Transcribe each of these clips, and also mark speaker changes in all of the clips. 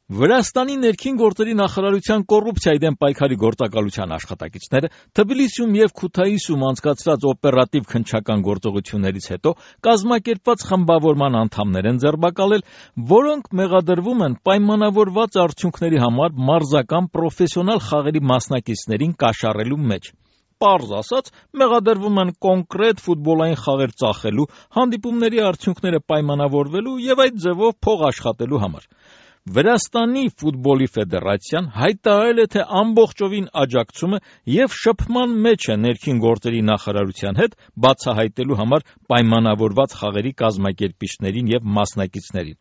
Speaker 1: Վրաստանի ներքին գործերի նախարարության կոռուպցիայի դեմ պայքարի գործակալության աշխատակիցները Թբիլիսիում եւ Քութայիսում անցկացրած օպերատիվ քննչական գործողություններից հետո կազմակերպված խմբավորման անդամներ են ձերբակալել, որոնք մեղադրվում են պայմանավորված արդյունքների համար մարզական պրոֆեսիոնալ խաղերի մասնակիցներին կաշառելու մեջ։ Պարզ ասած, մեղադրվում են կոնկրետ ֆուտբոլային խաղեր ծախելու, հանդիպումների արդյունքները պայմանավորվելու եւ այդ ձևով փող աշխատելու համար։ Վրաստանի ֆուտբոլի ֆեդերացիան հայտարարել է, թե ամբողջովին աջակցում է եւ շփման մեջ է ներքին գործերի նախարարության հետ բացահայտելու համար պայմանավորված խաղերի կազմակերպիչներին եւ մասնակիցներին։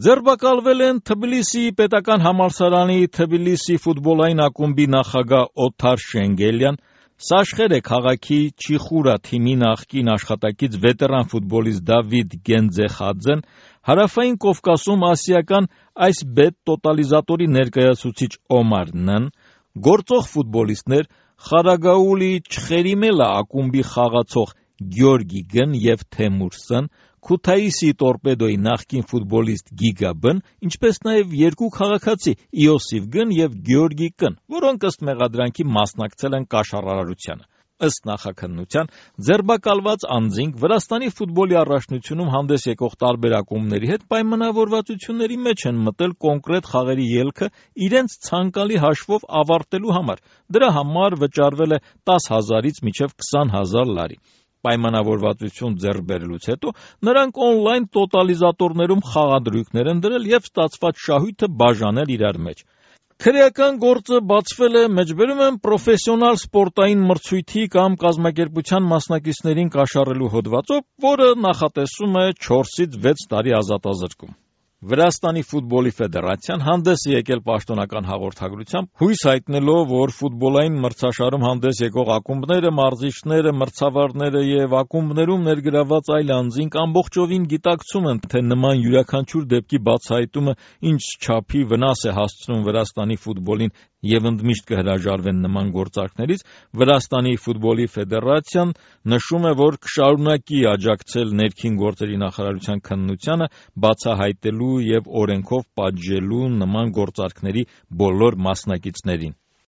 Speaker 1: Ձերբակալվել են Թբիլիսիի պետական համալսարանի Թբիլիսի ֆուտբոլային ակումբի նախագահ Օթար Շենգելյան, Սաշխերը քաղաքի Չիխուրա թիմի նախկին աշխատակից վետերան ֆուտբոլիստ Դավիթ Գենձեխաձեն, Հարավային Կովկասում ասիական այս բեթ տոտալիզատորի ներկայացուցիչ Օմար Նն, գործող ֆուտբոլիստներ Խարագաուլի Չխերիմելա ակումբի խաղացող Գյորգի Գն եւ Թեմուր Սն, Քութայիսի Տորպեդոյի նախկին ֆուտբոլիստ Գիգա Բն, ինչպես նաև երկու քաղաքացի Իոսիֆ Գն եւ Գյորգի Կն, որոնք ըստ մեղադրանքի մասնակցել են կաշառարարությանը։ Ըստ նախաքննության, ձերբակալված անձինք Վրաստանի ֆուտբոլի առաջնությունում հանդես եկող տարբեր ակումբների հետ պայմանավորվածությունների մեջ են մտել կոնկրետ խաղերի ելքը իրենց ցանկալի հաշվով ավարտելու համար։ Դրա համար վճարվել է 10,000-ից մինչև 20,000 լարի։ Պայմանավորվածություն ձեռք բերելուց հետո նրանք օնլայն տոտալիզատորներում խաղադրույքներ են դրել եւ ստացված շահույթը բաժանել իրար մեջ։ Քրեական գործը բացվել է, մեջբերում են պրոֆեսիոնալ սպորտային մրցույթի կամ կազմակերպության մասնակիցներին կաշառելու հոդվածով, որը նախատեսում է 4-ից 6 տարի ազատազրկում։ Վրաստանի ֆուտբոլի ֆեդերացիան հանդես է եկել պաշտոնական հաղորդագրությամբ, հույս հայտնելով, որ ֆուտբոլային մրցաշարում հանդես եկող ակումբները, մարզիչները, մրցավարները եւ ակումբներում ներգրավված այլ անձինք ամբողջովին գիտակցում են, թե նման յուրաքանչյուր դեպքի բացահայտումը ինչ չափի վնաս է հասցնում Վրաստանի ֆուտբոլին եւ ընդմիշտ կհրաժարվեն նման գործարքներից, Վրաստանի ֆուտբոլի ֆեդերացիան նշում է, որ կշարունակի աջակցել ներքին գործերի նախարարության քննությանը, բացահայտելու եւ օրենքով պատժելու նման գործարքների բոլոր մասնակիցներին։